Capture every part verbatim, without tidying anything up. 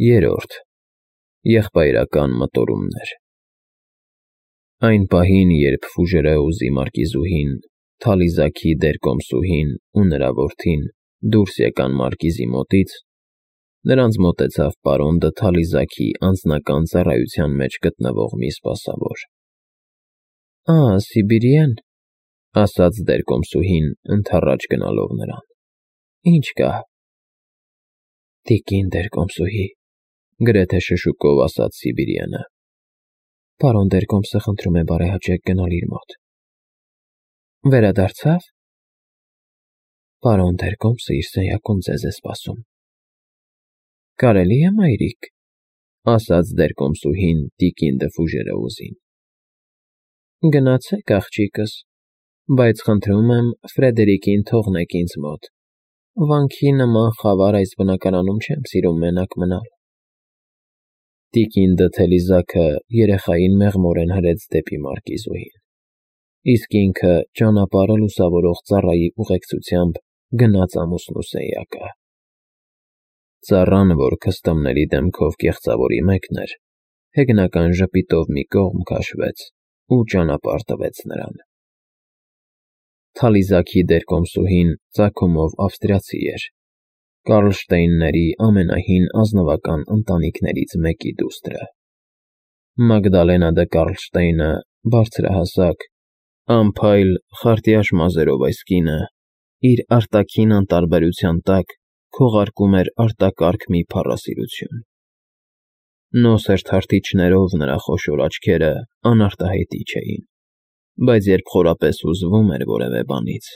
Երրորդ. Եղբայրական մտորումներ։ Այն պահին, երբ Ֆուժերեուզի մարկիզուհին, Թալիզաքի դերկոմսուհին ու նրա որդին դուրս եկան մարկիզի մոտից, նրանց մոտեցավ պարոն դը Թալիզաքի անձնական ծառայության մեջ գտնվող մի սպասավոր։ ֊ Ա, Սիբիրի՞են,֊ ասաց դերկոմսուհին, ընդառաջ գնալով նրան։ ֊ Ի՞նչ կա։ ֊ Տիկին դերկոմսուհի,֊ գրեթե շշուկով ասաց Սիբիրյանը,֊ պարոն դերկոմսը խնդրում է բարեհաճեք գնալ իր մոտ։ ֊ Վերադարձա՞վ։ ֊ Պարոն դերկոմսը իր սենյակում ձեզ է սպասում։ ֊ Կարելի՞ է, մայրիկ,֊ ասաց դերկոմսուհին տիկին դը Ֆուժերեուզին։ ֊ Գնացեք, աղջիկս, բայց խնդրում եմ Ֆրեդերիկին թողնեք ինձ մոտ, վանքի նման խավար այս բնակարանում չեմ սիրում մենակ մնալ։ Տիկին դը Թելիզաքը երեխային մեղմորեն հրեց դեպի մարկիզուհին, իսկ ինքը ճանապարհը լուսավորող ծառայի ուղեկցությամբ գնաց ամուսնու սենյակը։ Ծառան, որ քստամների դեմքով կեղծավորի մեկն էր, հեգնական ժպիտով մի կողմ քաշվեց ու ճանապարհ տվեց նրան։ Թալիզաքի դերկոմսուհին ծագումով ավստրիացի էր, Կարլշտեյնների ամենահին ազնվական ընտանիքներից մեկի դուստրը։ Մագդալենա դը Կարլշտեյնը բարձրահասակ, անփայլ, խարտյաշ մազերով այս կինը իր արտաքին անտարբերության տակ քողարկում էր արտակարգ մի փառասիրություն։ Նոսր թարթիչներով նրա խոշոր աչքերը անարտահայտիչ էին, բայց երբ խորապես հուզվում էր որևէ բանից,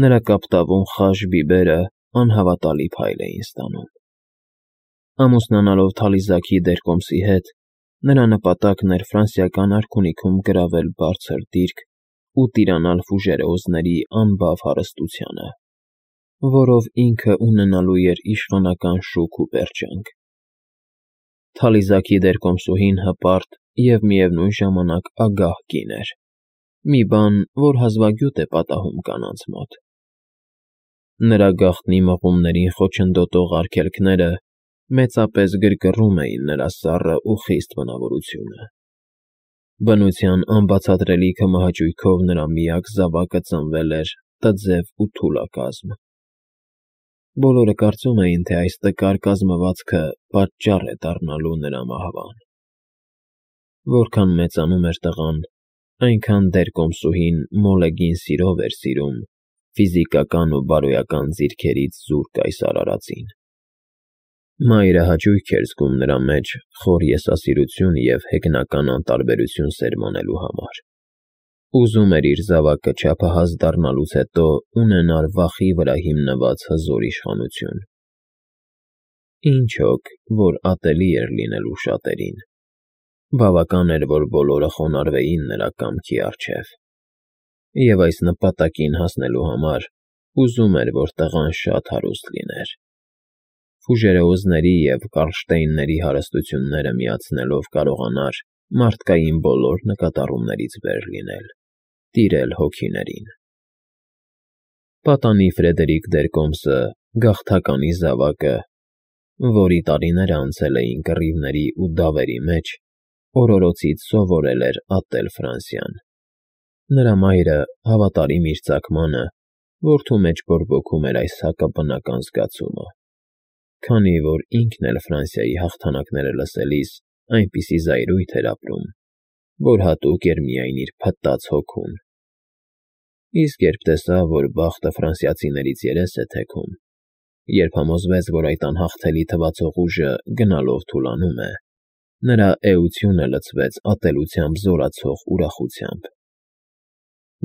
նրա կապտավուն խաշ բիբերը անհավատալի փայլ էին ստանում։ Ամուսնանալով Թալիզաքի դերկոմսի հետ, նրա նպատակն էր ֆրանսիական արքունիքում գրավել բարձր դիրք ու տիրանալ Ֆուժերեուզների անբավ հարստությանը, որով ինքը ունենալու էր իշխանական շուք ու պերճանք։ Թալիզաքի դերկոմսուհին հպարտ և միևնույն ժամանակ ագահ կին էր, մի բան, որ հազվագյուտ է պատահում կանանց մոտ։ Նրա գաղտնի մղումներին խոչընդոտող արգելքները մեծապես գրգռում էին նրա սառը ու խիստ բնավորությունը։ Բնության անբացատրելի քմահաճույքով նրա միակ զավակը ծնվել էր տձև ու թուլակազմ։ Բոլորը կարծում էին, թե այս տկար կազմվածքը պատճառ է դառնալու նրա մահվան։ Որքան մեծանում էր տղան, այնքան դերկոմսուհին մոլեգին սիրով էր սիրում ֆիզիկական ու բարոյական ձիրքերից զուրկ այս արարածին։ Մայրը հաճույք էր զգում նրա մեջ խոր եսասիրություն և հեգնական անտարբերություն սերմանելու համար։ Ուզում էր իր զավակը չափահաս դառնալուց հետո ունենար վախի վրա հիմնված հզոր իշխանություն։ Ինչ հոգ, որ ատելի էր լինելու շատերին։ Բավական էր, որ բոլորը խոնարհվեին նրա կամքի առջև։ Եվ այս նպատակին հասնելու համար ուզում էր, որ տղան շատ հարուստ լիներ։ Ֆուժերեուզների և Կարլշտեյնների հարստությունները միացնելով կարողանար մարդկային բոլոր նկատառումներից վեր լինել, տիրել հոգիներին։ Պատանի Ֆրեդերիկ դերկոմսը, գաղթականի զավակը, որի տարիները անցել էին կռիվների ու դավերի մեջ, օրորոցից սովորել էր ատել Ֆրանսիան։ Նրա մայրը հավատարիմ իր ծագմանը, որդու մեջ բորբոքում էր այս հակաբնական զգացումը, քանի որ ինքն էլ Ֆրանսիայի հաղթանակները լսելիս այնպիսի զայրույթ էր ապրում, որ հատուկ էր միայն իր փտտած հոգուն։ Իսկ երբ տեսավ, որ բախտը ֆրանսիացիներից երես է թեքում, երբ համոզվեց, որ այդ անհաղթելի թվացող ուժը գնալով թուլանում է, նրա էությունը լցվեց ատելությամբ զորացող ուրախությամբ։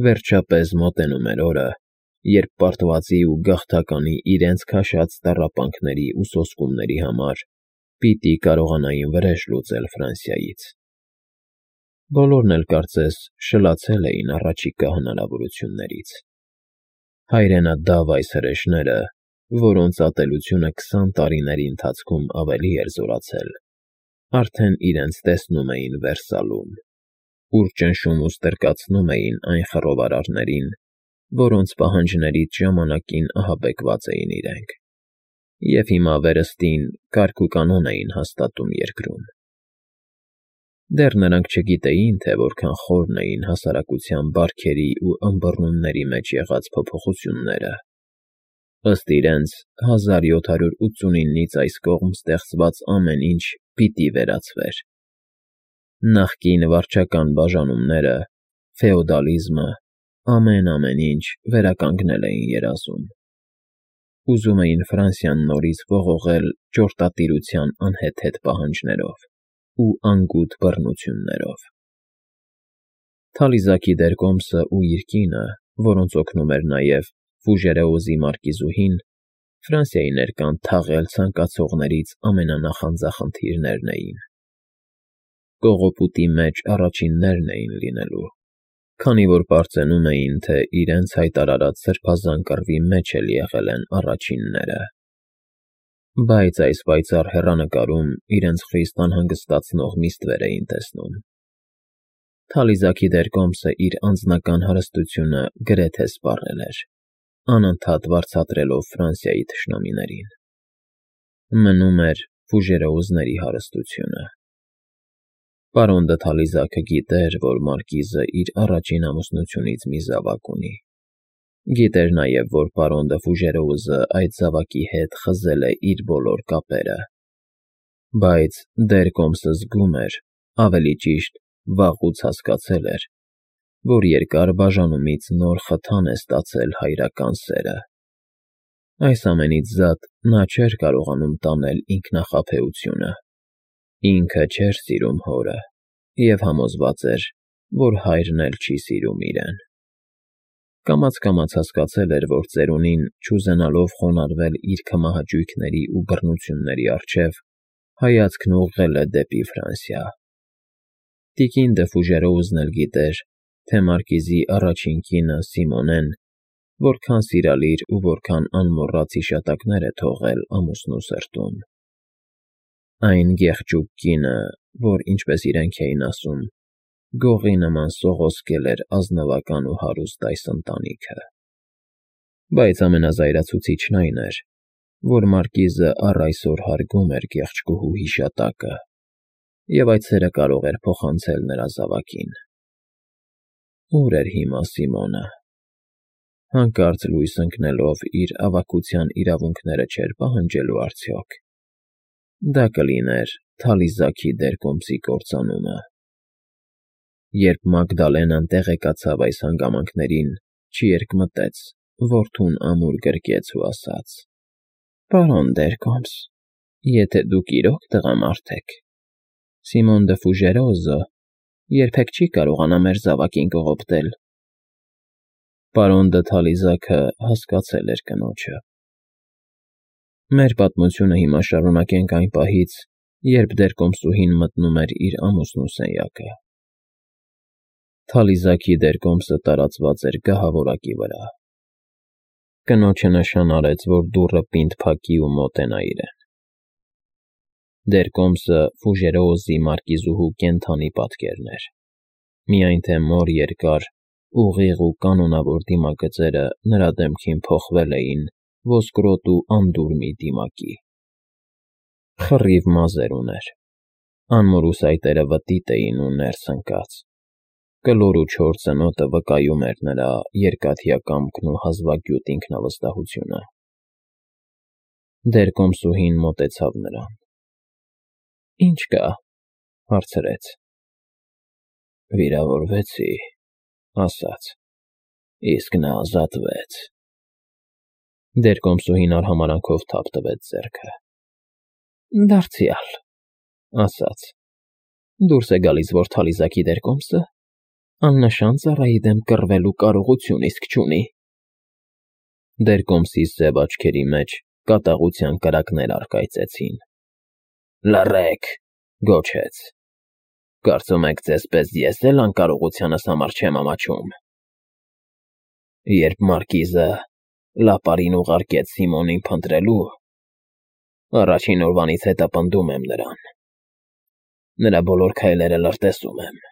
Վերջապես մոտենում էր օրը, երբ պարտվածի ու գաղթականի իրենց քաշած տառապանքների ու սոսկումների համար պիտի կարողանային վրեժ լուծել Ֆրանսիայից։ Բոլորն էլ կարծես շլացել էին առաջիկա հնարավորություններից։ Հայրենադավ այս հրեշները, որոնց ատելությունը քսան տարիների ընթացքում ավելի էր զորացել, արդեն իրենց տեսնում էին Վերսալում, ուր ճնշում ու ստրկացնում էին այն խռովարարներին, որոնց պահանջներից ժամանակին ահաբեկված էին իրենք։ և հիմա վերստին կարգ ու կանոն էին հաստատում երկրում։ Դեռ նրանք չգիտեին, թե որքան խորն էին հասարակության բարքերի ու ըմբռնումների մեջ եղած փոփոխությունները։ Ըստ իրենց, հազար յոթ հարյուր ութսունինից այս կողմ ստեղծված ամեն ինչ պիտի վերացվեր։ Նախկին վարչական բաժանումները, ֆեոդալիզմը, ամեն-ամեն ինչ վերականգնել էին երազում։ Ուզում էին Ֆրանսիան նորից ողողել ճորտատիրության անհեթեթ պահանջներով ու անգութ բռնություններով։ Թալիզակի դեր կոմսը ու իր կինը, որոնց օգնում էր նաև Ֆուժերեոզի մարկիզուհին, Ֆրանսիայի ներկան թաղել ցանկացողներից ամենանախանձախնդիրներն էին։ Կողոպուտի մեջ առաջիններն էին լինելու, քանի որ պարծենում էին, թե իրենց հայտարարած սրբազան կռվի մեջ էլ եղել են առաջինները։ Բայց այս պայծառ հեռանկարում իրենց խիստ անհանգստացնող մի ստվեր էին տեսնում։ Թալիզակի դեր կոմսը իր անձնական հարստությունը գրեթե սպառել էր, անընդհատ վարձատրելով Ֆրանսիայի թշնամիներին։ Մնում էր Ֆուժերեոզների հարստությունը։ Պարոն դը Թալիզակը գիտեր, որ մարկիզը իր առաջին ամուսնությունից մի զավակ ունի։ Գիտեր նաև, որ պարոն դը Ֆուժերեոզը այդ զավակի հետ խզել է իր բոլոր կապերը։ Բայց դեր կոմսը զգում էր, ավելի ճիշտ, վաղուց հասկացել էր, որ երկար բաժանումից նոր խթան է ստացել հայրական սերը։ Այս ամենից զատ նա չէր կարողանում տանել ինքնախաբեությունը։ Ինքը չէր սիրում հորը և համոզված էր, որ հայրն էլ չի սիրում իրեն։ Կամաց-կամաց հասկացել էր, որ ծերունին, չուզենալով խոնարհվել իր քմահաճույքների ու բռնությունների առջև, հայացքն ուղղել է դեպի Ֆրանսիա։ Տիկին դը Ֆուժերեոզն էլ գիտեր, թե մարկիզի առաջին կինը՝ Սիմոնեն, որքան սիրալիր ու որքան անմոռաց հիշատակներ է թողել ամուսնու սրտում։ Այն գեղջուկ կինը, որ, ինչպես իրենք էին ասում, գողի նման սողոսկել էր ազնվական ու հարուստ այս ընտանիքը։ Բայց ամենազայրացուցիչն այն էր, որ մարկիզը առ այսօր հարգում էր գեղեցկուհու հիշատակը, և այդ սերը կարող էր փոխանցել նրա զավակին։ Ո՞ւր էր հիմա Սիմոնը։ Հանկարծ լույս ընկնելով իր ավագության իրավունքները չէր պահանջելու արդյոք։ Դա կլիներ Թալիզակի դեր կոմսի կործանումը։ Երբ Մագդալենան տեղեկացավ այս հանգամանքներին, չերկմտեց, որդուն ամուր գրկեց ու ասաց. «Պարոն դեր կոմս, եթե դուք իրոք տղամարդ եք, Սիմոն դը Ֆուժերեոզը երբեք չի կարողանա մեր զավակին կողոպտել»։ Պարոն դը Թալիզակը հասկացել էր կնոջը։ Մեր պատմությունը հիմա շարունակենք այն պահից, երբ դեր կոմսուհին մտնում էր իր ամուսնու սենյակը։ Թալիզակի դեր կոմսը տարածված էր գահավորակի վրա։ Կնոջը նշան արեց, որ դուռը պինդ փակի ու մոտենա իրեն։ Դեր կոմսը Ֆուժերեոզի մարկիզուհու կենդանի պատկերն էր, միայն թե մոր երկար, ուղիղ ու կանոնավոր դիմագծերը նրա դեմքին փոխվել էին ոսկրոտ ու անդուր մի դիմակի։ Խռիվ մազեր ուներ, անմոր ուսայտերը վտիտ էին ու ներս ընկած։ Կլոր ու չոր ծնոտը վկայում էր նրա երկաթյա կամքն ու հազվագյուտ ինքնավստահությունը։ Դեր կոմսուհին մոտեցավ նրան։ «Ի՞նչ կա», հարցրեց։ «Վիրավորվեցի», ասաց, «իսկ նա ազատվեց»։ Դեր կոմսուհին արհամարհանքով թափ տվեց ձեռքը։ «Դարձյալ», ասաց, «դուրս է գալիս, որ Թալիզակի դեր կոմսը աննշան ծառայի դեմ կռվելու կարողություն իսկ չունի»։ Դեր կոմսի սև աչքերի մեջ կատաղության կրակներ առկայծեցին։ «Լռեք», գոչեց, «կարծում եք ձեզ պես ես էլ անկարողությանս համար չեմ ամաչում»։ Երբ մարկիզը լապարին ուղարկեց Սիմոնին փնտրելու, առաջին օրվանից հետապնդում եմ նրան։ Նրա բոլոր քայլերը լրտեսում եմ։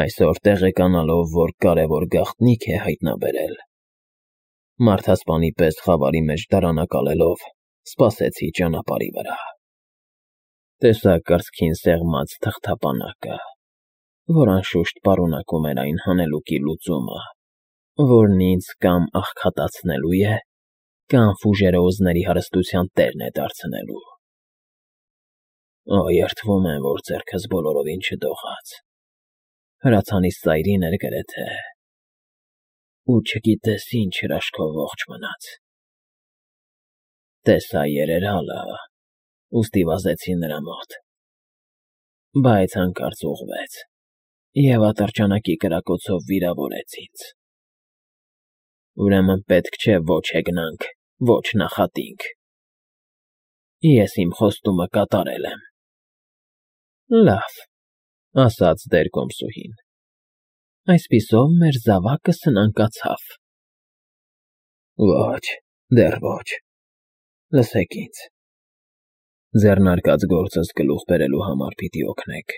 Այսօր տեղեկանալով, որ կարևոր գաղտնիք է հայտնաբերել, Մարդասպանի պես խավարի մեջ դարանակալելով, սպասեցի ճանապարհի վրա։ Տեսա կրծքին սեղմած թղթապանակը, որ անշուշտ պարունակում էր այն հանելուկի լուծումը, որն ինձ կամ աղքատացնելու է, կամ ֆուժերոզների հարստության տերն է դարձնելու։ Օ, երդվում եմ, որ ձեռքս բոլորովին չդողաց, հրացանիս ծայրին էր գրեթե, ու չգիտես ինչ հրաշքով ողջ մնաց։ Տեսա երերալը, ուստի վազեցի նրա մոտ, բայց հանկարծ ուղղվեց և ատրճանակի կրակոցով վիրավորեց ինձ։ Ուրեմն պետք չէ ոչ հեգնանք, ոչ նախատինք։ Ես իմ խոստումը կատարել եմ։ Լավ, ասաց դերկոմսուհին, այսպիսով մեր զավակը սնանկացավ։ Ոչ, դեռ ոչ, լսեք ինձ, ձեռնարկած գործս գլուխ բերելու համար պիտի օգնեք։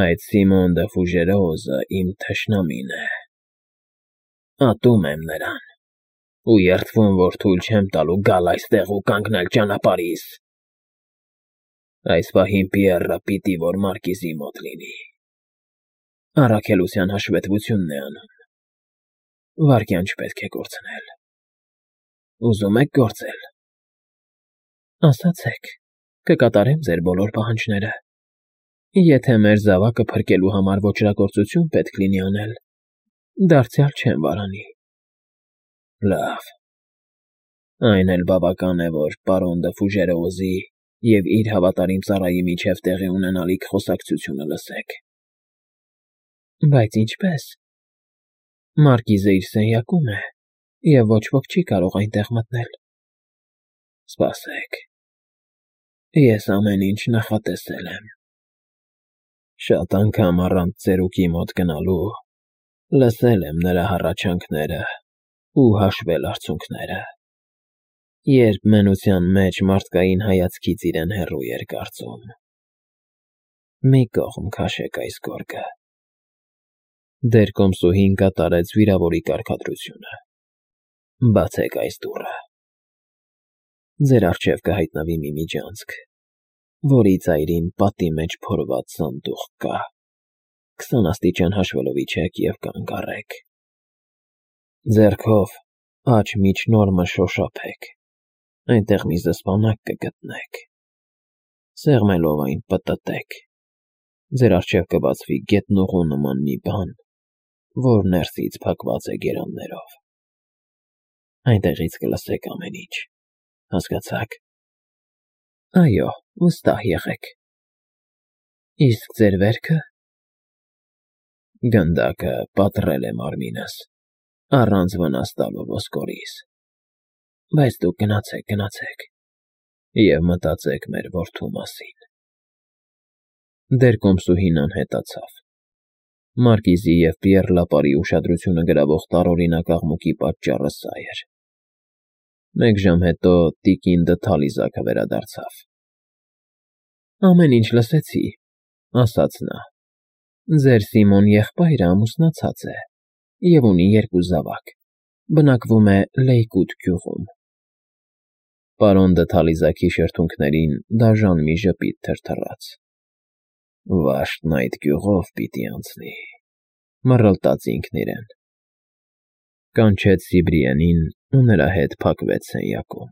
Այդ Սիմոն դը Ֆուժերոզը իմ թշնամին է, ատում եմ նրան, ու երդվում, որ թույլ չեմ տալու գալ այստեղ ու կանգնել ճանապարհիս։ Այս պահին Պիեռը պիտի որ Մարկիզի մոտ լինի, առաքելության հաշվետվությունն է անում, վայրկյան չպետք է կորցնել։ Ուզում եք գործել։ Ասացեք, կկատարեմ ձեր բոլոր պահանջները։ Եթե մեր զավակը փրկելու համար ոճրագործություն պետք լինի անել, դարձյալ չեմ վարանի։ Լավ, այն էլ բավական է, որ պարոն դը Ֆուժերոզի և իր հավատարիմ ծառայի միջև տեղի ունենալիք խոսակցությունը լսեք։ Բայց ինչպե՞ս։ Մարկիզը իր սենյակում է, և ոչ ոք չի կարող այնտեղ մտնել։ Սպասեք, ես ամեն ինչ նախատեսել եմ։ Շատ անգամ առանց ծերուկի մոտ գնալու լսել եմ նրա հառաչանքները ու հաշվել արցունքները, երբ մենության մեջ մարդկային հայացքից իրեն հեռու էր կարծում։ Մի կողմ քաշեք այս գորգը։ Դերկոմսուհին կատարեց վիրավորի կարգադրությունը։ Բացեք այս դուռը։ Ձեր առջև կհայտնվի մի միջանցք, որի ծայրին պատի մեջ փորված սանդուղք կա։ Քսան աստիճան հաշվելով իջեք և կանգ առեք։ Ձեռքով աջ միջնորմը շոշափեք, այնտեղ մի զսպանակ կգտնեք։ Սեղմելով այն պտտեք, ձեր առջև կբացվի գետնուղու նման մի բան, որ ներսից փակված է գերաններով։ Այնտեղից կլսեք ամեն ինչ, հասկացա՞ք։ Այո, վստահ եղեք։ Իսկ ձեր վերքը։ Գնդակը պատռել է մարմինս, առանց վնաս տալու ոսկորիս։ Բայց դուք գնացեք, գնացեք և մտածեք մեր որդու մասին։ Դերկոմսուհին անհետացավ։ Մարկիզի և Պիեռ Լապարի ուշադրությունը գրավող տարօրինակ աղմուկի պատճառը սա էր։ Մեկ ժամ հետո տիկին դը Թալիզակը վերադարձավ։ Ամեն ինչ լսեցի, ասաց նա։ Ձեր Սիմոն եղբայրը ամուսնացած է և ունի երկու զավակ, բնակվում է Լեյկուտ գյուղում։ Պարոն դը Թալիզակի շրթունքներին դաժան մի ժպիտ թրթռաց։ Վաշտն այդ գյուղով պիտի անցնի, մռլտաց ինքն իրեն։ Կանչեց Սիբրիենին ու նրա հետ փակվեց սենյակում։